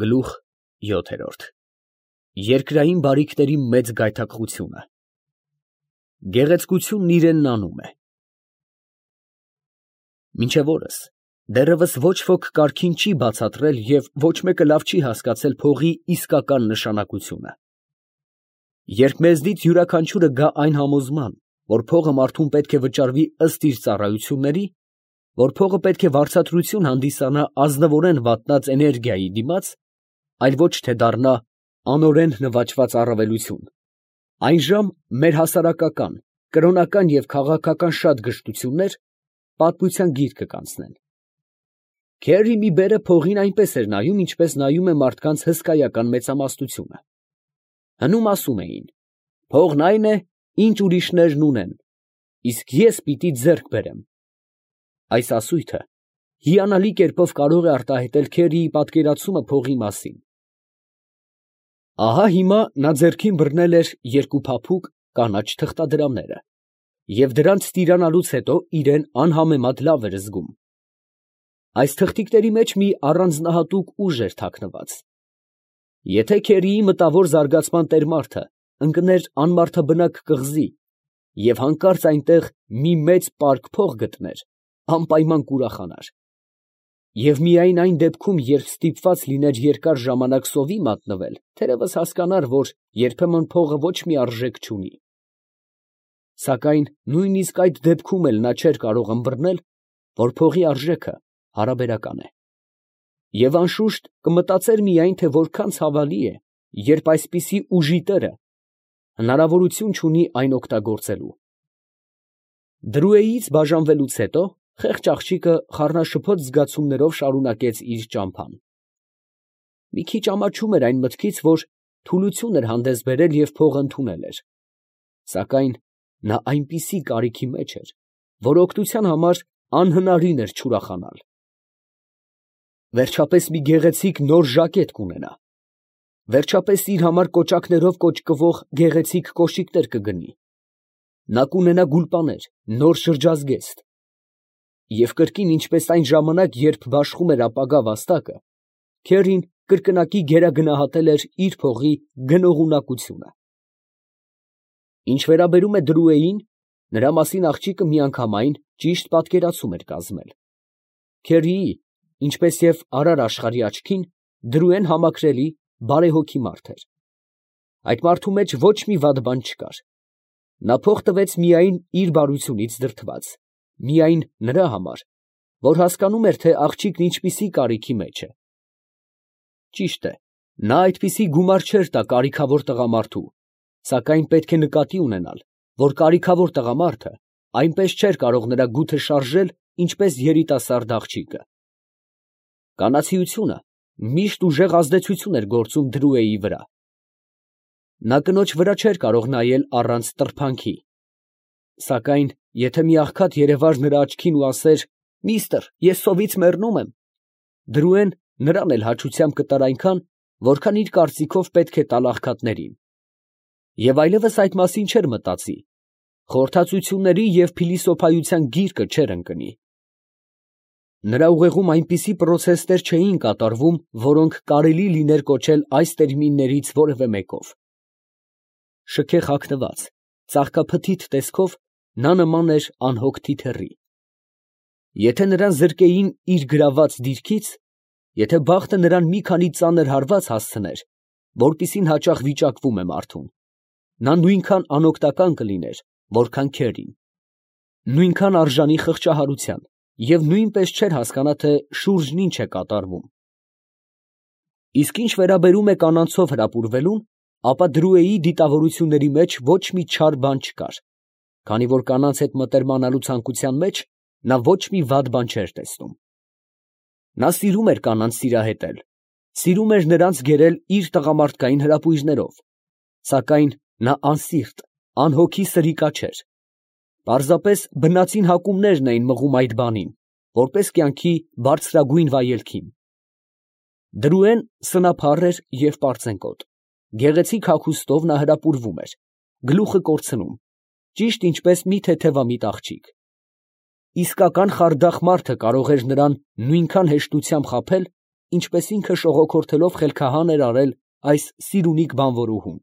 Գլուխ 7 Երկրային բարիքների մեծ գայթակղությունը։ Գեղեցկությունն իրենն անում է։ Մինչև օրս դեռևս ոչ ոք կարգին չի բացատրել և ոչ մեկը լավ չի հասկացել փողի իսկական նշանակությունը։ Երբ մեզնից յուրաքանչյուրը գա այն համոզման, որ փողը մարդուն պետք է վճարվի ըստ իր ծառայությունների, որ փողը պետք է վարձատրություն հանդիսանա ազնվորեն վատնած էներգիայի դիմաց, այլ ոչ թե դառնա անօրեն նվաճված առավելություն, այնժամ մեր հասարակական, կրոնական և քաղաքական շատ գժտություններ պատմության գիրկը կանցնեն։ Քերի մի բերը փողին այնպես էր նայում, ինչպես նայում է մարդկանց հսկայական մեծամասնությունը։ Հնում ասում էին. փողն այն է, ինչ ուրիշներն ունեն, իսկ ես պիտի ձեռք բերեմ։ Այս ասույթը հիանալի կերպով կարող է արտահայտել Քերիի պատկերացումը փողի մասին։ Ահա հիմա նա ձեռքին բռնել էր երկու փափուկ կանաչ թղթադրամները, և դրանց տիրանալուց հետո իրեն անհամեմատ լավ էր զգում։ Այս թղթիկների մեջ մի առանձնահատուկ ուժ էր թաքնված։ Եթե Քերիի մտավոր զարգացման տերմարդը ընկներ անմարդաբնակ կղզի և հանկարծ այնտեղ մի մեծ պարկ փող գտներ, անպայման կուրախանար։ Եվ միայն այն դեպքում, երբ ստիպված լիներ երկար ժամանակ սովի մատնվել, թերևս հասկանար, որ երբեմն փողը ոչ մի արժեք չունի։ Սակայն նույնիսկ այդ դեպքում էլ նա չէր կարող ըմբռնել, որ փողի արժեքը հարաբերական է։ Եվ անշուշտ կմտածեր միայն, թե որքան ցավալի է, երբ այսպիսի ուժի տերը հնարավորություն չունի այն օգտագործելու։ Դրուեից բաժանվելուց հետո խեղճ աղջիկը խառնաշփոթ զգացումներով շարունակեց իր ճամփան։ Մի քիչ ամաչում էր այն մտքից, որ թուլություն էր հանդես բերել և փողը ընդունել էր։ Սակայն նա այնպիսի կարիքի մեջ էր, որ օգնության համար անհնարին էր չուրախանալ։ Վերջապես մի գեղեցիկ նոր ժակետ կունենա։ Վերջապես իր համար կոճակներով կոճկվող գեղեցիկ կոշիկներ կգնի։ Նա կունենա գուլպաներ, նոր շրջազգեստ։ Եվ կրկին, ինչպես այն ժամանակ, երբ բաշխում էր ապագա վաստակը, Քերին կրկնակի գերագնահատել էր իր փողի գնողունակությունը։ Ինչ վերաբերում է Դրուեին, նրա մասին աղջիկը միանգամայն ճիշտ պատկերացում էր կազմել։ Քերիի, ինչպես և արար աշխարհի աչքին, Դրուեն համակրելի, բարեհոգի մարդ էր։ Այդ մարդու մեջ ոչ մի վատ բան չկար։ Նա փող տվեց միայն իր բարությունից դրդված, միայն նրա համար, որ հասկանում էր, թե աղջիկն ինչպիսի կարիքի մեջ է։ Ճիշտ է, նա այդպիսի գումար չէր տա կարիքավոր տղամարդու, սակայն պետք է նկատի ունենալ, որ կարիքավոր տղամարդը այնպես չէր կարող նրա գութը շարժել, ինչպես երիտասարդ աղջիկը։ Կանացիությունը միշտ ուժեղ ազդեցություն էր գործում Դրուեի վրա։ Նա կնոջ վրա չէր կարող նայել առանց տրփանքի։ Սակայն եթե մի աղքատ երևար նրա աչքին ու ասեր. «Միստր, ես սովից մեռնում եմ», Դրուեն նրան էլ հաճությամբ կտար այնքան, որքան իր կարծիքով պետք է տալ աղքատներին։ Եվ այլևս այդ մասին չէր մտածի, խորհրդածությունների և փիլիսոփայության գիրկը չէր ընկնի։ Նրա ուղեղում այնպիսի պրոցեսներ չէին կատարվում, որոնք կարելի լիներ կոչել այս տերմիններից որևէ մեկով։ Շքեղ հագնված, ծաղկափթիթ տեսքով նա նման էր անհոգ թիթեռի։ Եթե նրան զրկեին իր գրաված դիրքից, եթե բախտը նրան մի քանի ծանր հարված հասցներ, որպիսին հաճախ վիճակվում է մարդուն, նա նույնքան անօգնական կլիներ, որքան Քերին, նույնքան արժանի խղճահարության և նույնպես չէր հասկանա, թե շուրջն ինչ է կատարվում։ Իսկ ինչ վերաբերում է կանանցով հրապուրվելուն, ապա Դրուեի դիտավորությունների մեջ ոչ մի չար բան չկար, քանի որ կանանց հետ մտերմանալու ցանկության մեջ նա ոչ մի վատ բան չէր տեսնում։ Նա սիրում էր կանանց սիրահետել, սիրում էր նրանց գերել իր տղամարդկային հրապույրներով, սակայն նա անսիրտ, անհոգի սրիկա չէր։ Պարզապես բնածին հակումներն էին մղում այդ բանին, որպես կյանքի բարձրագույն վայելքին։ Դրուեն սնափառ էր և պարծենկոտ, գեղեցիկ հագուստով նա հրապուրվում էր, գլուխը կորցնում, ճիշտ ինչպես մի թեթևամիտ աղջիկ։ Իսկական խարդախ մարդը կարող էր նրան նույնքան հեշտությամբ խաբել, ինչպես ինքը շողոքորթելով խելքահան էր արել այս սիրունիկ բանվորուհուն։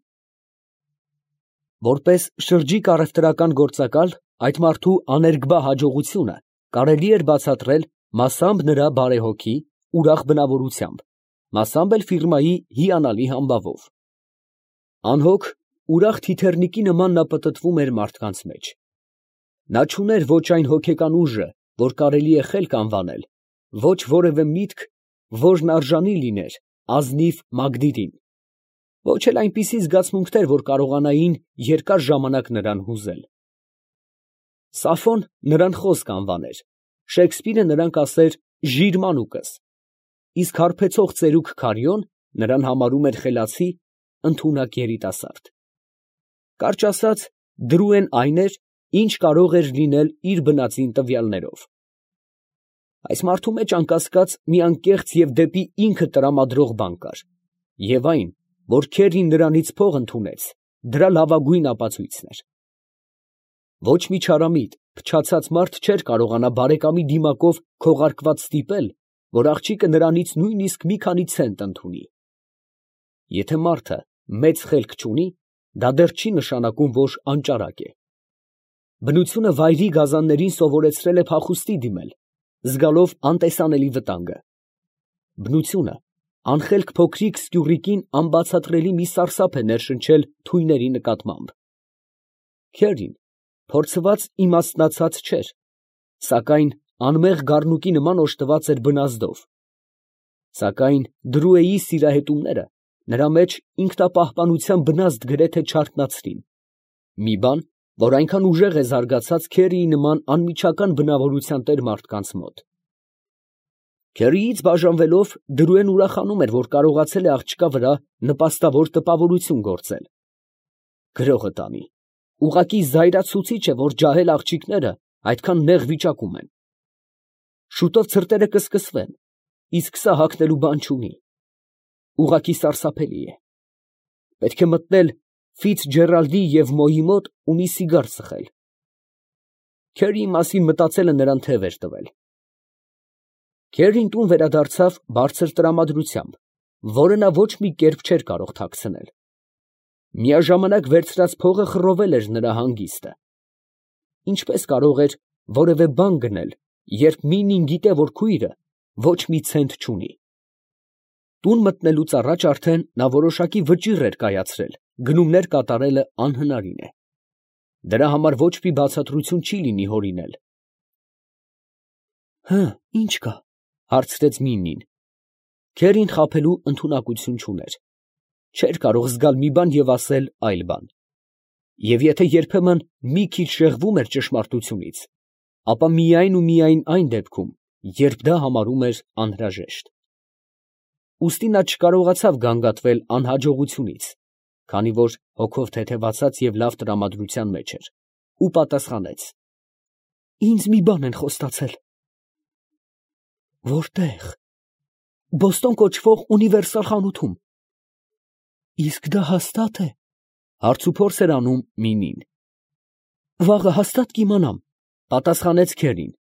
Որպես շրջիկ առևտրական գործակալ, այդ մարդու աներկբա հաջողությունը կարելի էր բացատրել մասամբ նրա բարեհոգի, ուրախ բնավորությամբ, մասամբ էլ ֆիրմայի հիանալի համբավով։ Անհոգ, ուրախ թիթեռնիկի նման նա պտտվում էր մարդկանց մեջ։ Նա չուներ ոչ այն հոգեկան ուժը, որ կարելի է խելք անվանել, ոչ որևէ միտք, որն արժանի լիներ ազնիվ Մագդիրին, ոչ էլ այնպիսի զգացմունքներ, որ կարողանային երկար ժամանակ նրան հուզել։ Սաֆոն նրան խոսք անվաներ, Շեքսպիրը նրան կասեր ժիրմանուկս, իսկ հարբեցող ծերուկ Քարիոն նրան համարում էր խելացի, ընդունակ երիտասարդ։ Կարճ ասած, դրուեն այն էր, ինչ կարող էր լինել իր բնածին տվյալներով։ Այս մարդու մեջ անկասկած մի անկեղծ և դեպի ինքը տրամադրող բան կար, և այն, որ Քերին նրանից փող ընդունեց, դրա լավագույն ապացույցն էր։ Ոչ մի չարամիտ, փչացած մարդ չէր կարողանա բարեկամի դիմակով քողարկված ստիպել, որ աղջիկը նրանից նույնիսկ մի քանի ցենտ ընդունի։ Եթե մարդը մեծ խելք չունի, դա դեռ չի նշանակում, որ անճարակ է։ Բնությունը վայրի գազաններին սովորեցրել է փախուստի դիմել, զգալով անտեսանելի վտանգը։ Բնությունը անխելք փոքրիկ սկյուռիկին անբացատրելի մի սարսափ է ներշնչել թույների նկատմամբ։ Քերին փորձված իմաստնացած չէր, սակայն անմեղ գառնուկի նման օժտված էր բնազդով։ Սակայն Դրուեի սիրահետումները նրա մեջ ինքնապահպանության բնազդ գրեթե չարթնացրին, մի բան, որ այնքան ուժեղ է զարգացած Քերիի նման անմիջական բնավորության տեր մարդկանց մոտ։ Քերիից բաժանվելով, Դրուեն ուրախանում էր, որ կարողացել է աղջկա վրա նպաստավոր տպավորություն գործել։ Գրողը տանի, ուղղակի զայրացուցիչ է, որ ջահել աղջիկները այդքան նեղ վիճակում են։ Շուտով ցրտերը կսկսվեն, իսկ սա հագնելու բան չունի։ Ուղղակի սարսափելի է։ Պետք է մտնել Ֆիցջերալդի և Մոյի մոտ ու մի սիգար ծխել։ Քերիի մասին մտածելը նրան թև էր տվել։ Քերին տուն վերադարձավ բարձր տրամադրությամբ, որը նա ոչ մի կերպ չէր կարող թաքցնել։ Միաժամանակ վերցրած փողը խռովել էր նրա հանգիստը։ Ինչպես կարող էր որևէ բան գնել, երբ Մինին գիտե, որ քույրը ոչ մի ցենտ չունի։ Տուն մտնելուց առաջ արդեն նա որոշակի վճիռ էր կայացրել, գնումներ կատարելը անհնարին է։ Դրա համար ոչ մի բացատրություն չի լինի հորինել։ Հը, ինչ կա, հարցրեց Մինին։ Քերին խաբելու ընդունակություն չուներ։ Չէր կարող զգալ մի բան և ասել այլ բան։ Եվ եթե երբեմն մի քիչ շեղվում էր ճշմարտությունից, ապա միայն ու միայն այն դեպքում, երբ դա համարում էր անհրաժեշտ։ Ուստի նա չկարողացավ գանգատվել անհաջողությունից, քանի որ հոգով թեթևացած և լավ տրամադրության մեջ էր, ու պատասխանեց. Ինձ մի բան են խոստացել։ Որտե՞ղ։ Բոստոն կոչվող ունիվերսալ խանութում։ Իսկ դա հաստա՞տ է։ Հարցուփորձ էր անում Մինին։ Վաղը հաստատ կիմանամ, պատասխանեց Քերին,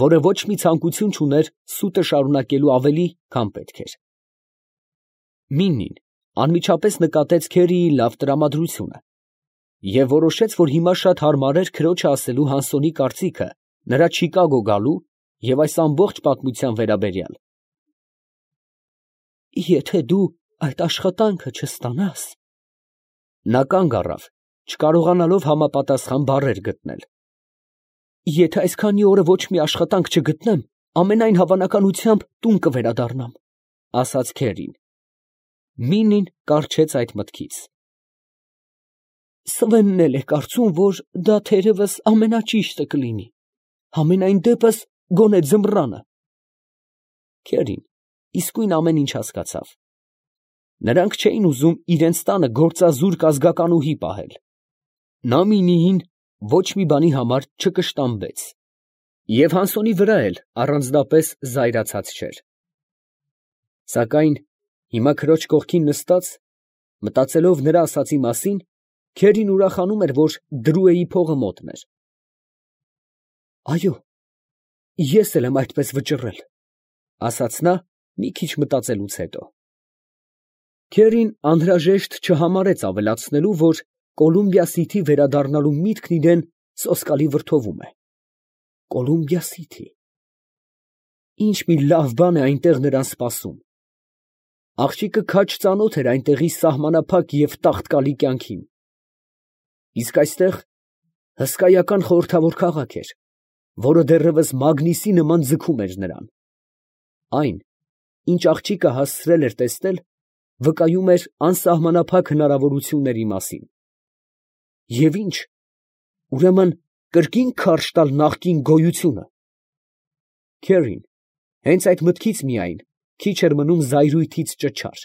որը ոչ մի ցանկություն չուներ սուտը շարունակելու ավելի, քան պետք էր։ Մինին անմիջապես նկատեց Քերիի լավ տրամադրությունը և որոշեց, որ հիմա շատ հարմար էր քրոջը ասելու Հանսոնի կարծիքը նրա Չիկագո գալու և այս ամբողջ պատմության վերաբերյալ։ Եթե դու այդ աշխատանքը չստանաս… Նա կանգ առավ, չկարողանալով համապատասխան բառեր գտնել։ Եթե այսքանի օրը ոչ մի աշխատանք չգտնեմ, ամենայն հավանականությամբ տուն կվերադառնամ, ասաց Քերին։ Մինին կառչեց այդ մտքից։ Սվենն էլ է կարծում, որ դա թերևս ամենաճիշտը կլինի, համենայն դեպս գոնե ձմռանը։ Քերին իսկույն ամեն ինչ հասկացավ։ Նրանք չէին ուզում իրենց տանը գործազուրկ ազգականուհի պահել։ Նա Մինիին ոչ մի բանի համար չկշտամբեց, և Հանսոնի վրա էլ առանձնապես զայրացած չէր։ Սակայն հիմա քրոջ կողքին նստած, մտածելով նրա ասածի մասին, Քերին ուրախանում էր, որ Դրուեի փողը մոտն էր։ Այո, ես էլ եմ այդպես վճռել, ասաց նա մի քիչ մտածելուց հետո։ Քերին անհրաժեշտ չհամարեց ավելացնելու, որ Կոլումբիա Սիթի վերադառնալու միտքն իրան սոսկալի վրդովում է։ Կոլումբիա Սիթի… Ինչ մի լավ բան է այնտեղ նրան սպասում։ Աղջիկը քաջ ծանոթ էր այնտեղի սահմանափակ և տաղտկալի կյանքին։ Իսկ այստեղ հսկայական խորհրդավոր քաղաք էր, որը դեռևս մագնիսի նման ձգում էր նրան։ Այն, ինչ աղջիկը հասցրել էր տեսնել, վկայում էր անսահմանափակ հնարավորությունների մասին։ Եվ ի՞նչ, ուրեմն կրկին քարշ տալ նախկին գոյությունը… Քերին հենց այդ մտքից միայն քիչ էր մնում զայրույթից ճչար։